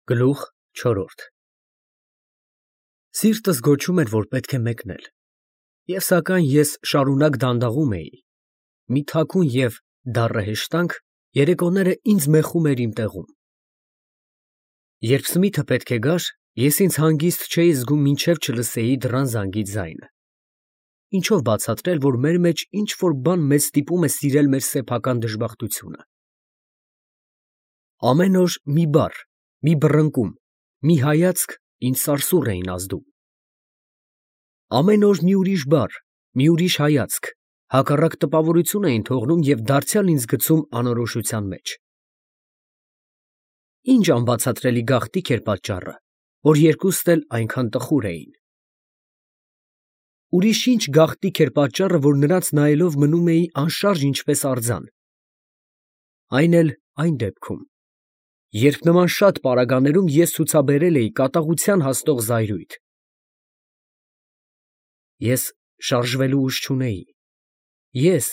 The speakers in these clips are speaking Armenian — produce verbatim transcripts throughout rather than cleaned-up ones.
Գլուխ չորրորդ Սիրտս գոչում էր, որ պետք է մեկնել, և սակայն ես շարունակ դանդաղում էի, մի թաքուն և դառը հեշտանք երեկոները ինձ մեխում էր իմ տեղում։ Երբ Սմիթը պետք է գար, ես ինձ հանգիստ չէի զգում մինչև չլսեի դռան զանգի ձայնը։ Ինչո՞վ բացատրել, որ մեր մեջ ինչ֊որ բան մեզ ստիպում է սիրել մեր սեփական դժբախտությունը։ Ամեն օր մի բառ, մի բռնկում, մի հայացք ինձ սարսուռ էին ազդում։ Ամեն օր մի ուրիշ բառ, մի ուրիշ հայացք հակառակ տպավորություն էին թողնում և դարձյալ ինձ գցում անորոշության մեջ։ Ինչ անբացատրելի գաղտնիք էր պատճառը, որ երկուստ էլ այնքան տխուր էին։ Ուրիշ ինչ գաղտնիք էր պատճառը, որ նրանց նայելով մնում էի անշարժ ինչպես արձան։ Այն էլ այն դեպքում, երբ նման շատ պարագաներում ես ցուցաբերել էի կատաղության հասնող զայրույթ։ Ես շարժվելու ուժ չունեի, ես,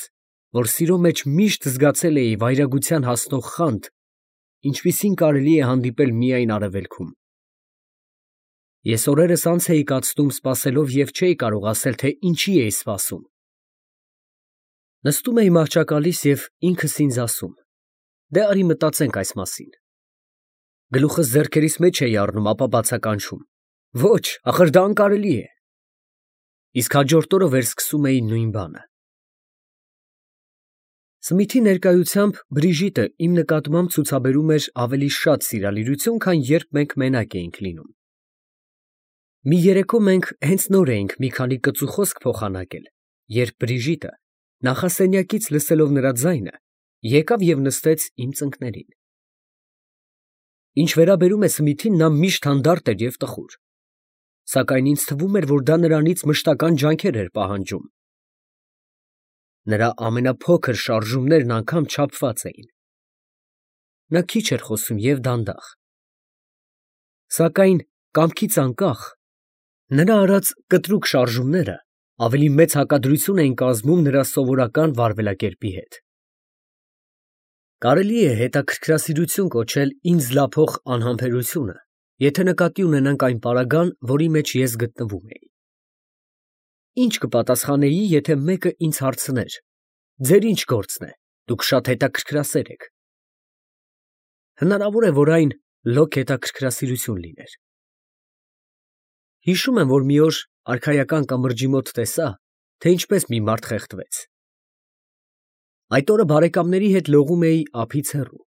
որ սիրո մեջ միշտ զգացել էի վայրագության հասնող խանդ, ինչպիսին կարելի է հանդիպել միայն արևելքում։ Ես օրերս անց էի կացնում սպասելով և չէի կարող ասել, թե ինչի էի սպասում։ Նստում էի մահճակալիս և ինքս ինձ ասում. «Դե արի մտածենք այս մասին»։ Գլուխս ձեռքերիս մեջ էի առնում, ապա բացականչում. «Ոչ, ախր դա անկարելի է»։ Իսկ հաջորդ օրը վերսկսում էի նույն բանը։ Սմիթի ներկայությամբ Բրիժիտը իմ նկատմամբ ցուցաբերում էր ավելի շատ սիրալիրություն, քան երբ մենք մենակ էինք լինում։ Մի երեկո մենք հենց նոր էինք մի քանի կծու խոսք փոխանակել, երբ Բրիժիտը, նախասենյակից լսելով նրա ձայնը, եկավ և նստեց իմ ծնկներին։ Ինչ վերաբերում է Սմիթին, նա միշտ հանդարտ էր և տխուր, սակայն ինձ թվում էր, որ դա նրանից մշտական ջանքեր էր պահանջում։ Նրա ամենափոքր շարժումներն անգամ չափված էին։ Նա քիչ էր խոսում և դանդաղ։ Սակայն կամքից անկախ, նրա արած կտրուկ շարժումները ավելի մեծ հակադրություն էին կազմում նրա սովորական վարվելակերպի հետ։ Կարելի է հետաքրքրասիրություն կոչել ինձ զլափող անհամբերությունը, եթե նկատի ունենանք այն պարագան, որի մեջ ես գտնվում էի։ Ինչ կպատասխանեի, եթե մեկը ինձ հարցներ. «Ձեր ի՞նչ գործն է, դուք շատ հետաքրքրասեր եք»։ Հնարավոր է, որ այն լոկ հետաքրքրասիրություն լիներ։ Հիշում եմ, որ մի օր արքայական կամրջի մոտ տեսա, թե ինչպես մի մարդ խեղդվեց։ Այդ օրը բարեկամների հետ լողում էի ափից հեռու։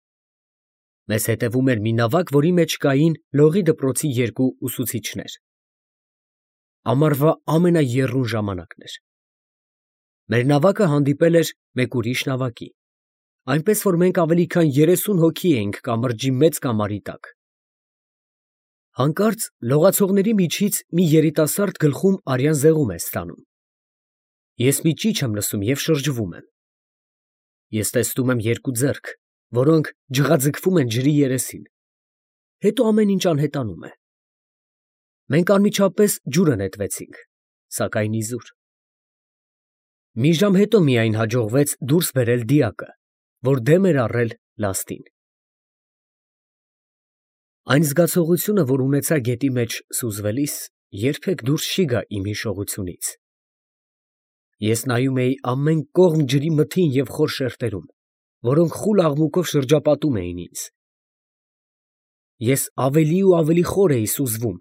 Մեզ հետևում էր մի նավակ, որի մեջ կային լողի դպրոցի երկու ուսուցիչներ։ Ամառվա ամենաեռուն ժամանակն էր։ Մեր նավակը հանդիպել էր մեկ ուրիշ նավակի, այնպես որ մենք ավելի քան երեսուն հոգի էինք կամրջի մեծ կամարի տակ։ Հանկարծ լողացողների միջից մի երիտասարդ գլխում արյան զեղում է ստանում։ Ես մի ճիչ եմ լսում և շրջվում եմ։ Ես տեսնում եմ երկու ձեռք, որոնք ջղաձգվում են ջրի երեսին, հետո ամեն ինչ անհետանում է։ Մենք անմիջապես ջուրը նետվեցինք, սակայն իզուր։ Մի ժամ հետո միայն հաջողվեց դուրս բերել դիակը, որ դեմ էր առել լաստին։ Այն զգացողությունը, որ ունեցա գետի մեջ սուզվելիս, երբեք դուրս չի գա իմ հիշողությունից։ Ես նայում էի ամեն կողմ ջրի մթին և խոր շերտերում, որոնք խուլ աղմուկով շրջապատում էին ինձ։ Ես ավելի ու ավելի խոր էի սուզվում,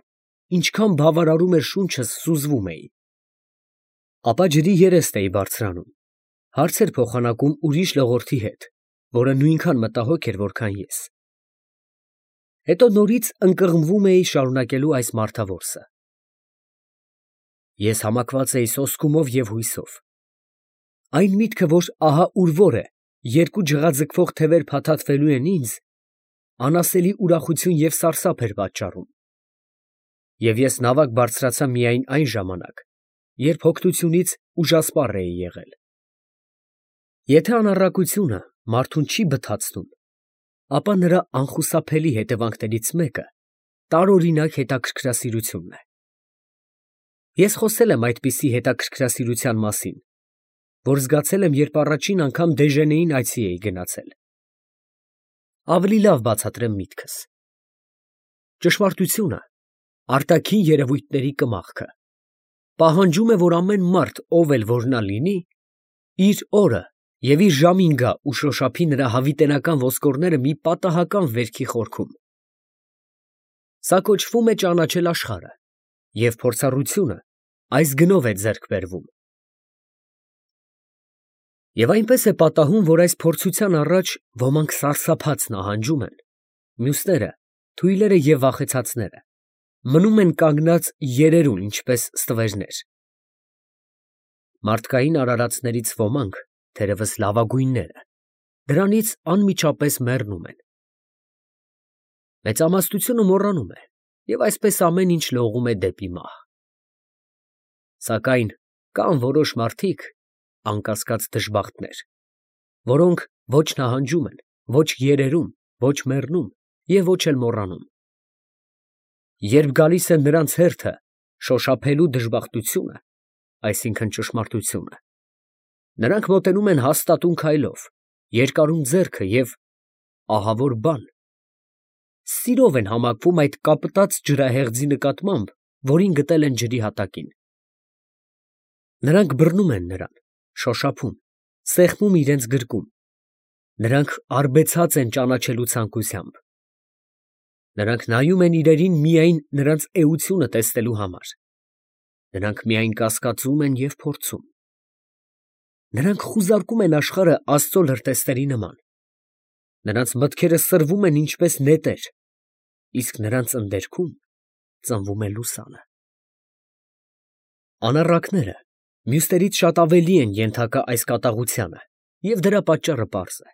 ինչքան բավարարում էր շունչս սուզվում էի։ Ապա ջրի երեստ էի բարձրանում, հարցեր փոխանակում ուրիշ լողորդի հետ, որը նույնքան մտահոգ էր, որքան ես։ Հետո նորից ընկղմվում էի շարունակելու այս մարդավորսը։ Ես համակված էի սոսկումով և հույսով։ Այն միտքը, որ ահա ուր որ է, երկու ջղաձգվող թևեր փաթաթվելու են ինձ, անասելի ուրախություն և սարսափ էր պատճառում։ Եվ ես նավակ բարձրացա միայն այն ժամանակ, երբ հոգնությունից ուժասպառ էի եղել։ Եթե անառակությունը մարդուն չի բթացնում, ապա նրա անխուսափելի հետևանքներից մեկը տարօրինակ հետաքրքրասիրությունն է։ Ես խոսել եմ այդպիսի հետաքրքրասիրության մասին, որ զգացել եմ, երբ առաջին անգամ Դեժենեին այցի էի գնացել։ Ավելի լավ բացատրեմ միտքս։ ճշմարտությունը, արտաքին երևույթների կմախքը, պահանջում է, որ ամեն մարդ, ով էլ որ նա լինի, իր օրը և իր ժամին գա ու շոշափի նրա հավիտենական ոսկորները մի պատահական վերքի խորքում։ Սա կոչվում է ճանաչել աշխարհը, և փորձառությունը այս գնով է ձեռք բերվում։ Եվ այնպես է պատահում, որ այս փորձության առաջ ոմանք սարսափած նահանջում են, մյուսները, թույլերը և վախեցածները, մնում են կանգնած երերուն, ինչպես ստվերներ։ Մարդկային արարածներից ոմանք, թերևս լավագույնները, դրանից անմիջապես մեռնում են։ Մեծամասնությունը մոռանում է, և այսպես ամեն ինչ լողում է դեպի մահ։ Սակայն կան որոշ մարդիկ, անկասկած դժբախտներ, որոնք ոչ նահանջում են, ոչ երերում, ոչ մեռնում և ոչ էլ մոռանում։ Երբ գալիս է նրանց հերթը շոշափելու դժբախտությունը, այսինքն ճշմարտությունը, նրանք մոտենում են հաստատուն քայլով, երկարում ձեռքը և, ահավոր բան, սիրով են համակվում այդ կապտած ջրահեղձի նկատմամբ, որին գտել են ջրի հատակին։ Նրանք բռնում են նրան, շոշափում, սեղմում իրենց գրկում, նրանք արբեցած են ճանաչելու ցանկությամբ։ Նրանք նայում են իրերին միայն նրանց էությունը տեսնելու համար, նրանք միայն կասկածում են և փորձում։ Նրանք խուզարկում են աշխարհը Աստծո լրտեսների նման, նրանց մտքերը սրվում են ինչպես նետեր, իսկ նրանց ընդերքում ծնվում է լուսանը։ Անառակները մյուսներից շատ ավելի են ենթակա այս կատաղությանը, և դրա պատճառը պարզ է։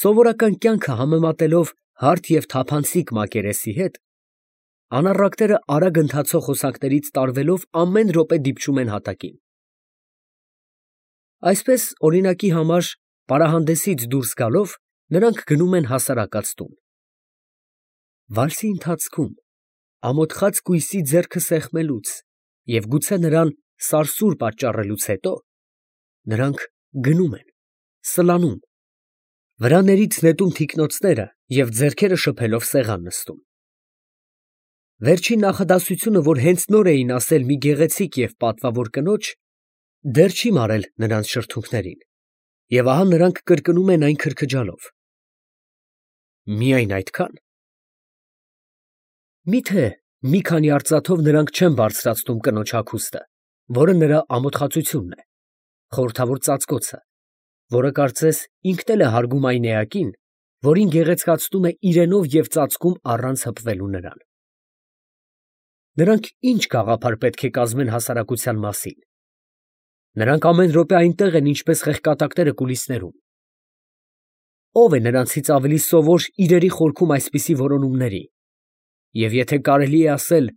Սովորական կյանքը համեմատելով հարթ և թափանցիկ մակերեսի հետ, անառակները արագ ընթացող հոսանքներից տարվելով ամեն րոպե դիպչում են հատակին։ Այսպես, օրինակի համար, պարահանդեսից դուրս գալով, նրանք գնում են հասարակած տուն։ Վալսի ընթացքում, ամոթխած կույսի ձեռքը սեղմելուց և գուցե նրան սարսուռ պատճառելուց հետո, նրանք գնում են, սլանում, վրաներից նետում թիկնոցները և ձեռքերը շփելով սեղան նստում։ Վերջին նախադասությունը, որ հենց նոր էին ասել մի գեղեցիկ և պատվավոր կնոջ, դեռ չի մարել նրանց շրթունքներին, և ահա նրանք կրկնում են այն քրքջալով։ Միայն այդքա՞ն։ Մի՞թե մի քանի արծաթով նրանք չեն բարձրացնում կնոջ հագուստը, որը նրա ամոթխածությունն է, խորհրդավոր ծածկոցը, որը կարծես ինքն էլ է հարգում այն էակին, որին գեղեցկացնում է իրենով և ծածկում առանց հպվելու նրան։ Նրանք ի՞նչ գաղափար պետք է կազմեն հասարակության մասին։ Նրանք ամեն րոպե այնտեղ են, ինչպես խեղկատակները կուլիսներում։ Ո՞վ է նրանցից ավելի սովոր իրերի խորքում այսպիսի որոնումների, և եթե կարելի է ասել,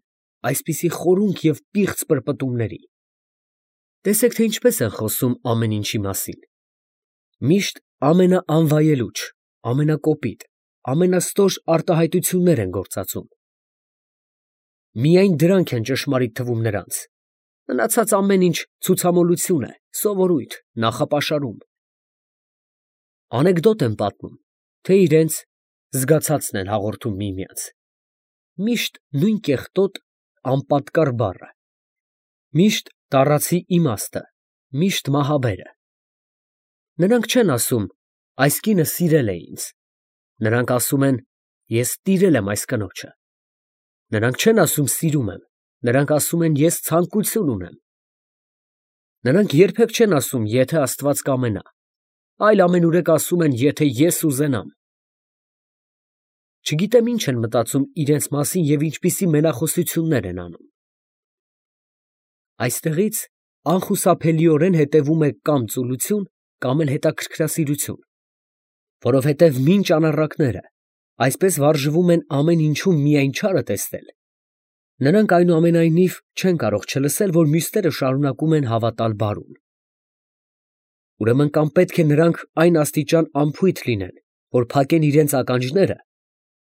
այսպիսի խորունկ և պիղծ պրպտումների։ Տեսեք, թե ինչպես են խոսում ամեն ինչի մասին։ Միշտ ամենաանվայելուչ, ամենակոպիտ, ամենաստոր արտահայտություններ են գործածում։ Միայն դրանք են ճշմարիտ թվում նրանց, մնացած ամեն ինչ ցուցամոլություն է, սովորույթ, նախապաշարում։ Անեկդոտ են պատմում, թե իրենց զգացածն են հաղորդում միմյանց, միշտ նույն կեղտոտ, անպատկառ բառը, միշտ տառացի իմաստը, միշտ մահաբերը։ Նրանք չեն ասում. «Այս կինը սիրել է ինձ», նրանք ասում են. «Ես տիրել եմ այս կնոջը»։ Նրանք չեն ասում սիրում եմ, նրանք ասում են. «Ես ցանկություն ունեմ»։ Նրանք երբեք չեն ասում. «Եթե Աստված կամենա», այլ ամենուրեք ասում են. «Եթե ես ուզենամ»։ Չգիտեմ ինչ են մտածում իրենց մասին և ինչպիսի մենախոսություններ են անում։ Այստեղից անխուսափելիորեն հետևում է կամ ծուլություն, կամ էլ հետաքրքրասիրություն, որովհետև մինչ անառակները այսպես վարժվում են ամեն ինչում միայն չարը տեսնել, նրանք այնուամենայնիվ չեն կարող չլսել, որ մյուսները շարունակում են հավատալ բարուն։ Ուրեմն կամ պետք է նրանք այն աստիճան անփույթ լինեն, որ փակեն իրենց ականջները,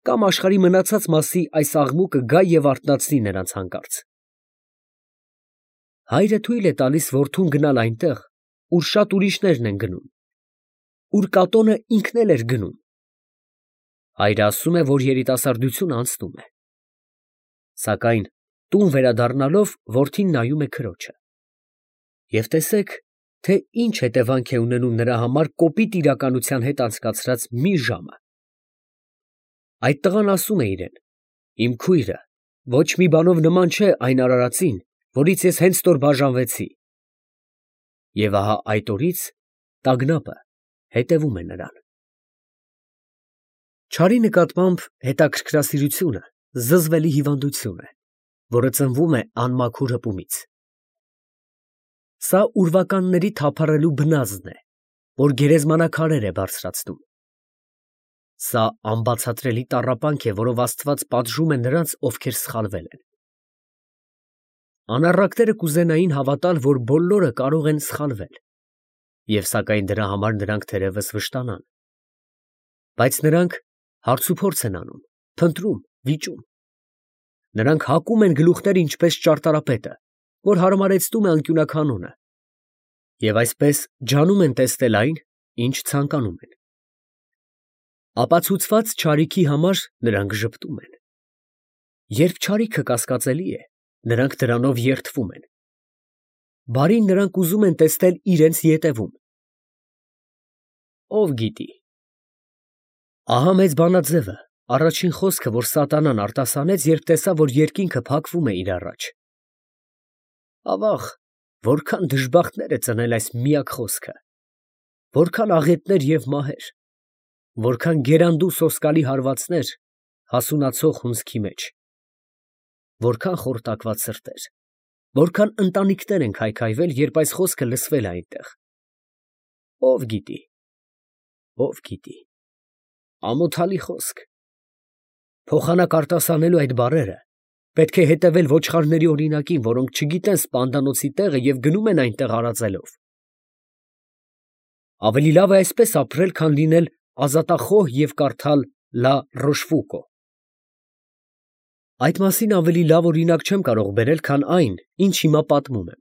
կամ աշխարհի մնացած մասի այս աղմուկը գա և արթնացնի նրանց հանկարծ։ Հայրը թույլ է տալիս որդուն գնալ այնտեղ, ուր շատ ուրիշներն են գնում, ուր կատոնը ինքն էլ էր գնում։ Հայրը ասում է, որ երիտասարդությունը անցնում է։ Սակայն տուն վերադառնալով որդին նայում է քրոջը։ Եվ տեսեք, թե ինչ հետևանք է ունենում նրա համար կոպիտ իրականության հետ անցկացրած մի ժամը։ Այդ տղան ասում է իրեն. «Իմ քույրը ոչ մի բանով նման չէ այն արարածին, որից ես հենց նոր բաժանվեցի»։ Եվ ահա այդ օրից տագնապը հետևում է նրան։ Չարի նկատմամբ հետաքրքրասիրությունը զզվելի հիվանդություն է, որը ծնվում է անմաքուր հպումից։ Սա ուրվականների թափառելու բնազդն է, որ գերեզմանաքարեր է բարձրացնում։ Սա անբացատրելի տառապանք է, որով Աստված պատժում է նրանց, ովքեր սխալվել են։ Անառակները կուզենային հավատալ, որ բոլորը կարող են սխալվել, և սակայն դրա համար նրանք թերևս վշտանան։ Բայց նրանք հարցուփորձ են անում, փնտրում, վիճում։ Նրանք հակում են գլուխները ինչպես ճարտարապետը, որ հարմարեցնում է անկյունաքանոնը, և այսպես ջանում են տեսնել այն, ինչ ցանկանում են։ Ապացուցված չարիքի համար նրանք ժպտում են։ Երբ չարիքը կասկածելի է, նրանք դրանով երդվում են։ Բարին նրանք ուզում են տեսնել իրենց ետևում։ Ով գիտի։ Ահա մեծ բանաձևը, առաջին խոսքը, որ սատանան արտասանեց, երբ տեսավ, որ երկինքը փակվում է իր առաջ։ Ավաղ, որքան դժբախտներ է ծնել այս միակ խոսքը, որքան աղետներ և մահեր, որքան գերանդու սոսկալի հարվածներ հասունացող հունձքի մեջ, որքան խորտակված սրտեր, որքան ընտանիքներ են քայքայվել, երբ այս խոսքը լսվել է այնտեղ։ Ով գիտի, ով գիտի, ամոթալի խոսք։ Փոխանակ արտասանելու այդ բառերը պետք է հետևել ոչխարների օրինակին, որոնք չգիտեն սպանդանոցի տեղը և գնում են այնտեղ արածելով։ Ավելի լավ է այսպես ապրել, քան լինել ազատախոհ և կարդալ Լա Ռոշֆուկո։ Այդ մասին ավելի լավ օրինակ չեմ կարող բերել, քան այն, ինչ հիմա պատմում եմ։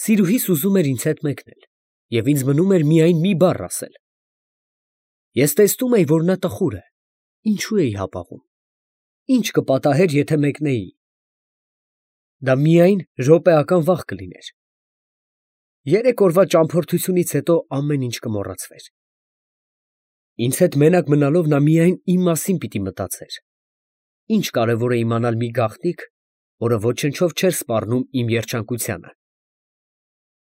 Սիրուհիս ուզում էր ինձ հետ մեկնել, և ինձ մնում էր միայն մի բառ ասել։ Ես տեսնում էի, որ նա տխուր է, ինչու էի հապաղում։ Ինչ կպատահեր, եթե մեկնեի։ Դա միայն րոպեական վախ կլիներ։ Երեք օրվա ճամփորդությունից հետո ամեն ինչ կմոռացվեր։ Ինձ հետ մենակ մնալով նա միայն իմ մասին պիտի մտածեր։ Ինչ կարևոր է իմանալ մի գաղտնիք, որը ոչնչով չէր սպառնում իմ երջանկությանը։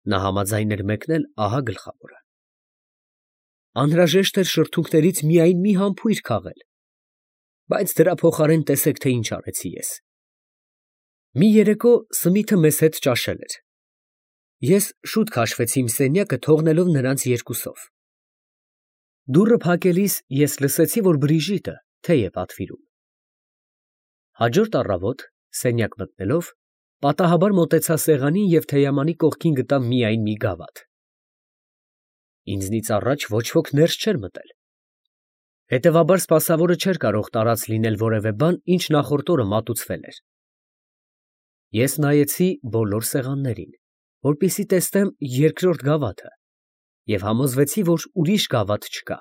Նա համաձայն էր մեկնել, ահա գլխավորը։ Անհրաժեշտ էր շրթունքներից միայն մի համբույր քաղել, բայց դրա փոխարեն տեսեք, թե ինչ արեցի ես։ Մի երեկո Սմիթը մեզ հետ ճաշել էր։ Ես շուտ քաշվեցի իմ սենյակը, թողնելով նրանց երկուսով։ Դուռը փակելիս ես լսեցի, որ Բրիժիտը թեյ է պատվիրում։ Հաջորդ առավոտ, սենյակ մտնելով, պատահաբար մոտեցա սեղանին և թեյամանի կողքին գտա միայն մի գավաթ։ Ինձնից առաջ ոչ ոք ներս չէր մտել։ Հետևաբար սպասավորը չէր կարող տարած լինել որևէ բան, ինչ նախորդ օրը մատուցվել էր։ Ես նայեցի բոլոր սեղաններին, որպեսզի տեսնեմ երկրորդ գավաթը, և համոզվեցի, որ ուրիշ գավաթ չկա։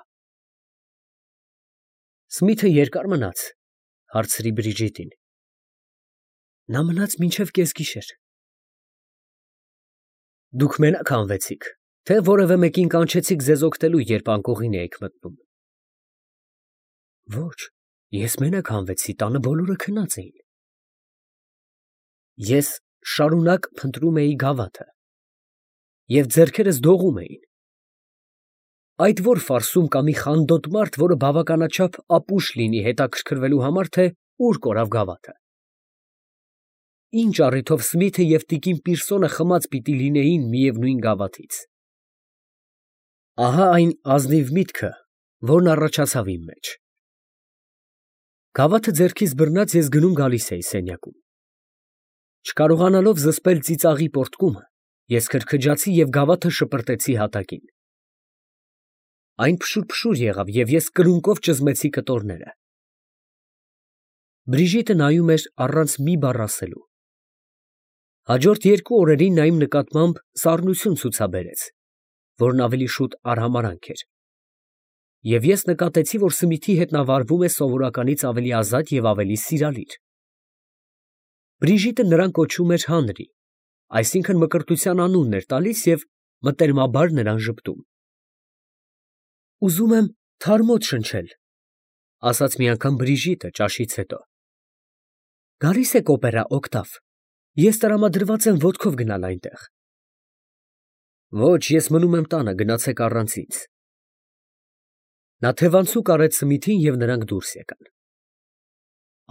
Սմիթը երկար մնաց, հարցրի Բրիժիտին։ Նա մնաց մինչև կեսգիշեր։ Դուք մենակ հանվեցիք, թե որևէ մեկին կանչեցիք ձեզ օգնելու, երբ անկողին էիք մտնում։ Ոչ, ես մենակ հանվեցի, տանը բոլորը քնած էին։ Ես շարունակ փնտրում էի գավաթը, և ձեռքերս դողում էին։ Այդ որ ֆարսում կա մի խանդոտ մարդ, որը բավականաչափ ապուշ լինի հետաքրքրվելու համար, թե ուր կորավ գավաթը։ Ինչ առիթով Սմիթը և տիկին Պիրսոնը խմած պիտի լինեին միևնույն գավաթից։ Ահա այն ազնիվ միտքը, որն առաջացավ իմ մեջ։ Գավաթը ձեռքիս բռնած ես գնում֊գալիս էի սենյակում։ Չկարողանալով զսպել ծիծաղի պոռթկումը, ես քրքջացի և գավաթը շպրտեցի հատակին։ Այն փշուր֊փշուր եղավ, և ես կրունկով ճզմեցի կտորները։ Բրիժիտը նայում էր առանց մի բառ ասելու։ Հաջորդ երկու օրերին նա իմ նկատմամբ սառնություն ցուցաբերեց, որն ավելի շուտ արհամարհանք էր։ և ես նկատեցի, որ Սմիթի հետ նա վարվում է սովորականից ավելի ազատ և ավելի սիրալիր։ Բրիժիտը նրան կոչում էր Հանրի, այսինքն մկրտության անունն էր տալիս և մտերմաբար նրան ժպտում։ ֊ Ուզում եմ թարմոտ շնչել, ֊ ասաց մի անգամ Բրիժիտը ճաշից հետո։ ֊ Գալի՞ս եք օպերա, Օկտավ, ես տրամադրված եմ ոտքով գնալ այնտեղ։ ֊ Ոչ, ես մնում եմ տանը, գնացեք առանց ինձ։ Նա թևանցուկ արեց Սմիթին, և նրանք դուրս եկան։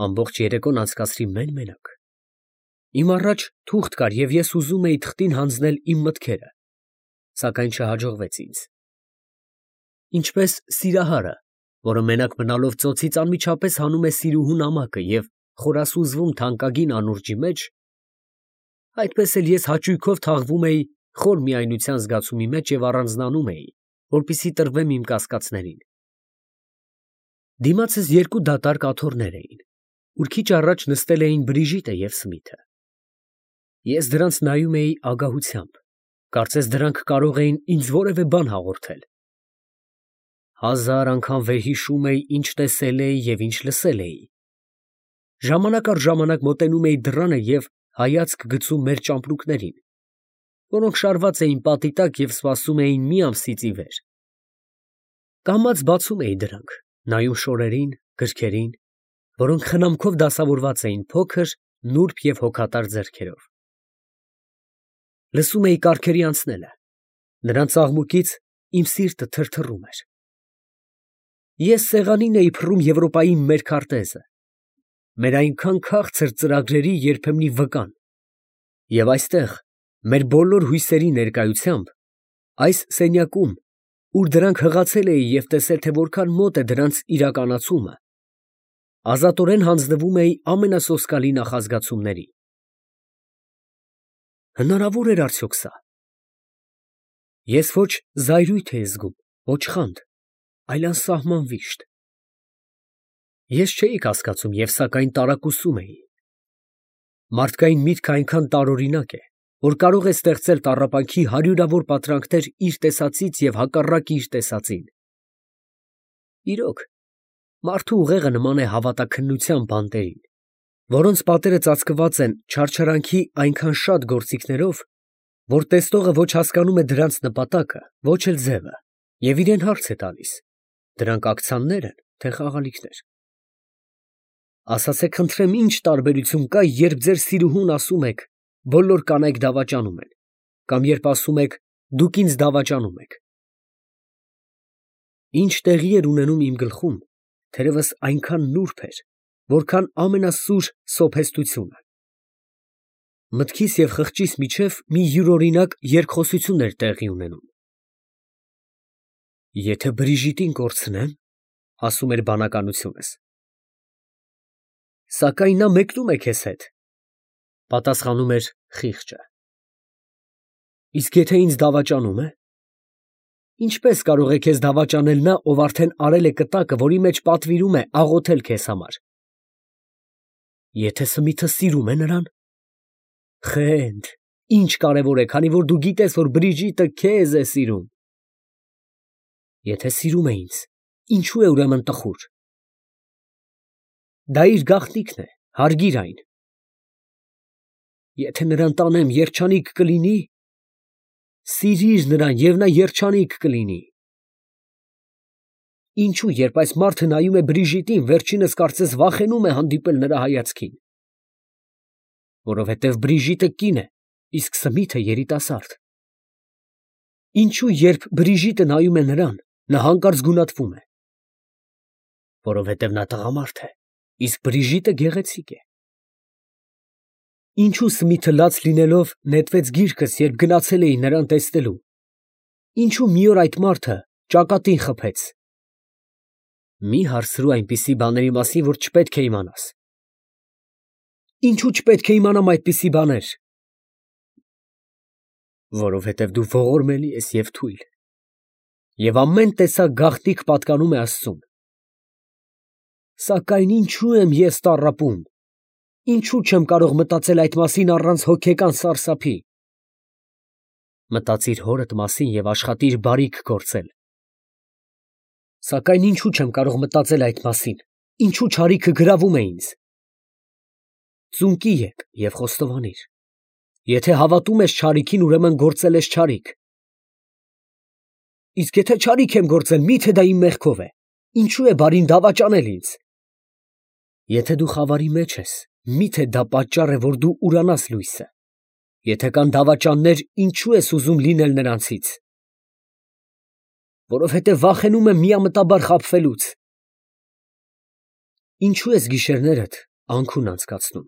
Ամբողջ երեկոն անցկացրի մեն֊մենակ։ Իմ առաջ թուղթ կար, և ես ուզում էի թղթին հանձնել իմ մտքերը, սակայն չհաջողվեց ինձ։ Ինչպես սիրահարը, որը մենակ մնալով ծոցից անմիջապես հանում է սիրուհու նամակը և խորասուզվում թանկագին անուրջի մեջ, այդպես էլ ես հաճույքով թաղվում էի խոր միայնության զգացումի մեջ և առանձնանում էի, որպեսզի տրվեմ իմ կասկածներին։ Դիմացս երկու դատարկ աթոռներ էին, ուր քիչ առաջ նստել էին Բրիժիտը և Սմիթը։ Ես դրանց նայում էի ագահությամբ, կարծես դրանք կարող էին ինձ որևէ բան հաղորդել։ Հազար անգամ վերհիշում էի, ինչ տեսել էի և ինչ լսել էի։ Ժամանակ առ ժամանակ մոտենում էի դռանը և հայացք գցում մեր ճամպրուկներին, որոնք շարված էին պատի տակ և սպասում էին մի ամսից ի վեր։ Կամաց բացում էի դրանք, նայում շորերին, գրքերին, որոնք խնամքով դասավորված էին փոքր, նուրբ և հոգատար ձեռքերով։ Լսում էի կառքերի անցնելը, նրանց աղմուկից իմ սիրտը թրթռում էր։ Ես սեղանին էի փռում Եվրոպայի մեր քարտեզը, մեր այնքան քաղցր ծրագրերի երբեմնի վկան, և այստեղ, մեր բոլոր հույսերի ներկայությամբ, այս սենյակում, ուր դրանք հղացել էի և տեսել, թե որքան մոտ է դրանց իրականացումը, ազատորեն հանձնվում էի ամենասոսկալի նախազգացումների։ Հնարավո՞ր էր արդյոք սա։ Ես ոչ զայրույթ էի զգում, ոչ խանդ, այլ անսահման վիշտ։ Ես չէի կասկածում և սակայն տարակուսում էի։ Մարդկային միտքը այնքան տարօրինակ է, որ կարող է ստեղծել տառապանքի հարյուրավոր պատրանքներ իր տեսածից և հակառակ իր տեսածին։ Իրոք, մարդու ուղեղը նման է հավատաքննության բանտերին, որոնց պատերը ծածկված են չարչարանքի այնքան շատ գործիքներով, որ տեսնողը ոչ հասկանում է դրանց նպատակը, ոչ էլ ձևը, և իրան հարց է տալիս. դրանք ակցիաննե՞ր են, թե խաղալիքներ։ Ասացեք խնդրեմ, ի՞նչ տարբերություն կա, երբ ձեր սիրուհուն ասում եք. բոլոր կանայք դավաճանում են, կամ երբ ասում եք. դուք ինձ դավաճանում եք։ Ինչ տեղի էր ունենում իմ գլխում, թերևս այնքան նուրբ էր, որքան ամենասուր սոփեստությունը։ Մտքիս և խղճիս միջև մի յուրօրինակ երկխոսություն էր տեղի ունենում։ Եթե Բրիժիտին կորցնեմ, ֊ ասում էր բանականությունս, ֊ սակայն նա մեկնում է քեզ հետ, ֊ պատասխանում էր խիղճը։ Իսկ եթե ինձ դավաճանում է, ինչպե՞ս կարող է քեզ դավաճանել նա, ով արդեն արել է կտակը, որի մեջ պատվիրում է աղոթել քեզ համար։ Եթե Սմիթը սիրում է նրան, խենդ, ինչ կարևոր է, քանի որ դու գիտես, որ Բրիժիտը քեզ է սիրում։ Եթե սիրում է ինձ, ինչո՞ւ է ուրեմն տխուր։ Դա իր գաղտնիքն է, հարգիր այն։ Եթե նրան տանեմ, երջանիկ կլինի։ Սիրիր նրան, և նա երջանիկ կլինի։ Ինչո՞ւ, երբ այս մարդը նայում է Բրիժիտին, վերջինս կարծես վախենում է հանդիպել նրա հայացքին։ Որովհետև Բրիժիտը կին է, իսկ Սմիթը երիտասարդ։ Ինչո՞ւ, երբ Բրիժիտը նայում է նրան, նա հանկարծ գունատվում է։ Որովհետև նա տղամարդ է, իսկ Բրիժիտը գեղեցիկ է։ Ինչո՞ւ Սմիթը լաց լինելով նետվեց գիրկս, երբ գնացել էի նրան տեսնելու։ Ինչո՞ւ մի օր այդ մարդը ճակատին խփեց։ Մի հարցրու այնպիսի բաների մասին, որ չպետք է իմանաս։ Ինչո՞ւ չպետք է իմանամ այդպիսի բաներ։ Որովհետև դու ողորմելի ես և թույլ, և ամեն տեսակ գաղտնիք պատկանում է Աստծուն։ Սակայն ինչո՞ւ եմ ես տառապում, ինչո՞ւ չեմ կարող մտածել այդ մասին առանց հոգեկան սարսափի։ Մտածիր հորդ մասին և աշխատիր բարիք գործել։ Սակայն ինչու չեմ կարող մտածել այդ մասին, ինչու չարիքը գրավում է ինձ։ Ծունկի եկ և խոստովանիր. եթե հավատում ես չարիքին, ուրեմն գործել ես չարիք։ Իսկ եթե չարիք եմ գործել, մի՞թե դա իմ մեղքով է, ինչու է բարին դավաճանել ինձ։ Եթե դու խավարի մեջ ես, մի՞թե դա պատճառ է, որ դու ուրանաս լույսը։ Եթե կան դավաճաններ, ինչու ես ուզում լինել նրանցից։ Որովհետև վախենում եմ միամտաբար խաբվելուց։ Ինչու ես գիշերներդ անքուն անցկացնում։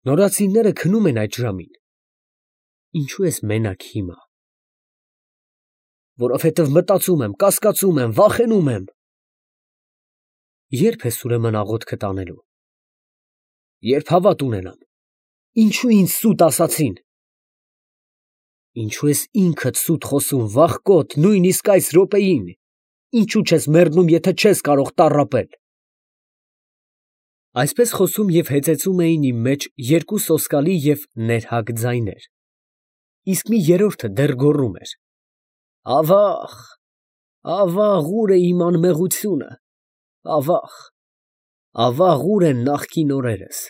Նորածինները քնում են այդ ժամին։ Ինչու ես մենակ հիմա։ Որովհետև մտածում եմ, կասկածում եմ, վախենում եմ։ Ե՞րբ ես ուրեմն աղոթքդ անելու։ Երբ հավատ ունենամ։ Ինչու ինձ սուտ ասացին։ Ինչու ես ինքդ սուտ խոսում, վախկոտ, նույնիսկ այս րոպեին։ Ինչու չես մեռնում, եթե չես կարող տառապել։ Այսպես խոսում և հեծեծում էին իմ մեջ երկու սոսկալի և ներհակ ձայներ, իսկ մի երրորդը դեռ գոռում էր. «Ավա՜ղ, ավա՜ղ, ուր է իմ անմեղությունը, ավա՜ղ, ավա՜ղ, ուր են նախկին օրերս»։